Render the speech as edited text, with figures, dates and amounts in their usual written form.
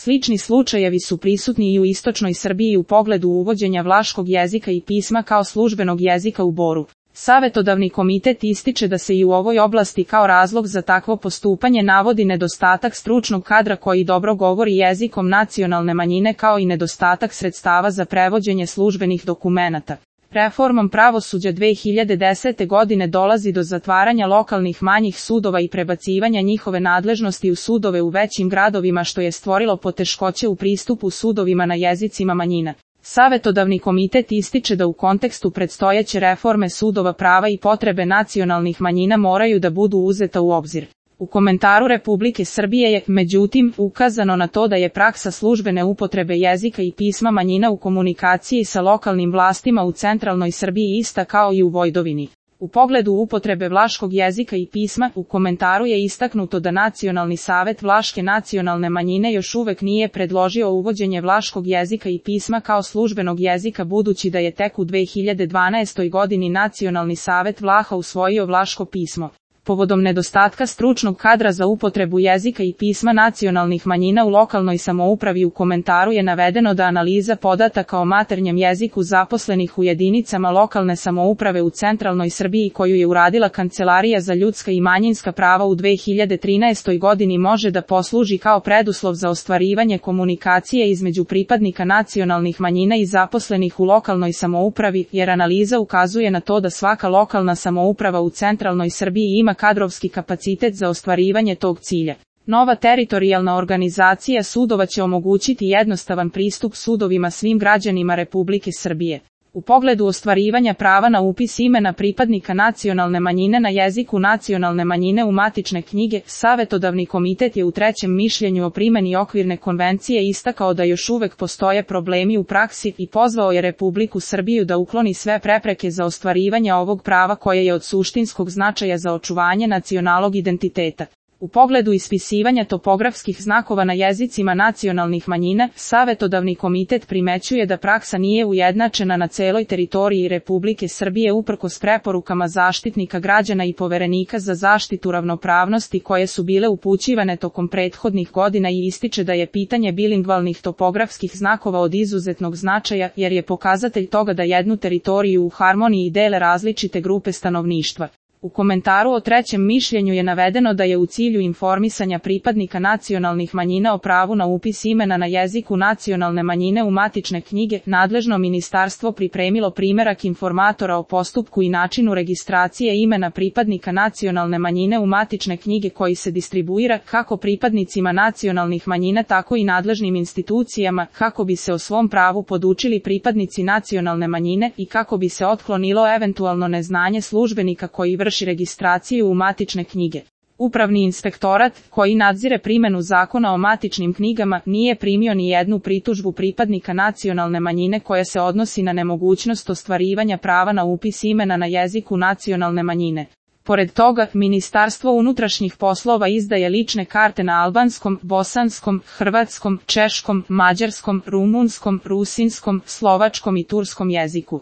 Slični slučajevi su prisutni i u istočnoj Srbiji u pogledu uvođenja vlaškog jezika i pisma kao službenog jezika u Boru. Savetodavni komitet ističe da se i u ovoj oblasti kao razlog za takvo postupanje navodi nedostatak stručnog kadra koji dobro govori jezikom nacionalne manjine kao i nedostatak sredstava za prevođenje službenih dokumenata. Reformom pravosuđa 2010. godine dolazi do zatvaranja lokalnih manjih sudova i prebacivanja njihove nadležnosti u sudove u većim gradovima što je stvorilo poteškoće u pristupu sudovima na jezicima manjina. Savetodavni komitet ističe da u kontekstu predstojeće reforme sudova prava i potrebe nacionalnih manjina moraju da budu uzeta u obzir. U komentaru Republike Srbije je, međutim, ukazano na to da je praksa službene upotrebe jezika i pisma manjina u komunikaciji sa lokalnim vlastima u centralnoj Srbiji ista kao i u Vojvodini. U pogledu upotrebe vlaškog jezika i pisma, u komentaru je istaknuto da Nacionalni savet vlaške nacionalne manjine još uvek nije predložio uvođenje vlaškog jezika i pisma kao službenog jezika budući da je tek u 2012. godini Nacionalni savet Vlaha usvojio vlaško pismo. Povodom nedostatka stručnog kadra za upotrebu jezika i pisma nacionalnih manjina u lokalnoj samoupravi u komentaru je navedeno da analiza podataka o maternjem jeziku zaposlenih u jedinicama lokalne samouprave u centralnoj Srbiji koju je uradila Kancelarija za ljudska i manjinska prava u 2013. godini može da posluži kao preduslov za ostvarivanje komunikacije između pripadnika nacionalnih manjina i zaposlenih u lokalnoj samoupravi, jer analiza ukazuje na to da svaka lokalna samouprava u centralnoj Srbiji ima kadrovski kapacitet za ostvarivanje tog cilja. Nova teritorijalna organizacija sudova će omogućiti jednostavan pristup sudovima svim građanima Republike Srbije. U pogledu ostvarivanja prava na upis imena pripadnika nacionalne manjine na jeziku nacionalne manjine u matične knjige, Savetodavni komitet je u trećem mišljenju o primjeni okvirne konvencije istakao da još uvek postoje problemi u praksi i pozvao je Republiku Srbiju da ukloni sve prepreke za ostvarivanje ovog prava koje je od suštinskog značaja za očuvanje nacionalnog identiteta. U pogledu ispisivanja topografskih znakova na jezicima nacionalnih manjina, Savetodavni komitet primećuje da praksa nije ujednačena na celoj teritoriji Republike Srbije uprkos preporukama Zaštitnika građana i Poverenika za zaštitu ravnopravnosti koje su bile upućivane tokom prethodnih godina i ističe da je pitanje bilingvalnih topografskih znakova od izuzetnog značaja jer je pokazatelj toga da jednu teritoriju u harmoniji dele različite grupe stanovništva. U komentaru o trećem mišljenju je navedeno da je u cilju informisanja pripadnika nacionalnih manjina o pravu na upis imena na jeziku nacionalne manjine u matične knjige, nadležno ministarstvo pripremilo primerak informatora o postupku i načinu registracije imena pripadnika nacionalne manjine u matične knjige koji se distribuira kako pripadnicima nacionalnih manjina tako i nadležnim institucijama kako bi se o svom pravu podučili pripadnici nacionalne manjine i kako bi se otklonilo eventualno neznanje službenika koji vrši registraciju u matične knjige. Upravni inspektorat, koji nadzire primjenu zakona o matičnim knjigama, nije primio ni jednu pritužbu pripadnika nacionalne manjine koja se odnosi na nemogućnost ostvarivanja prava na upis imena na jeziku nacionalne manjine. Pored toga, Ministarstvo unutrašnjih poslova izdaje lične karte na albanskom, bosanskom, hrvatskom, češkom, mađarskom, rumunskom, rusinskom, slovačkom i turskom jeziku.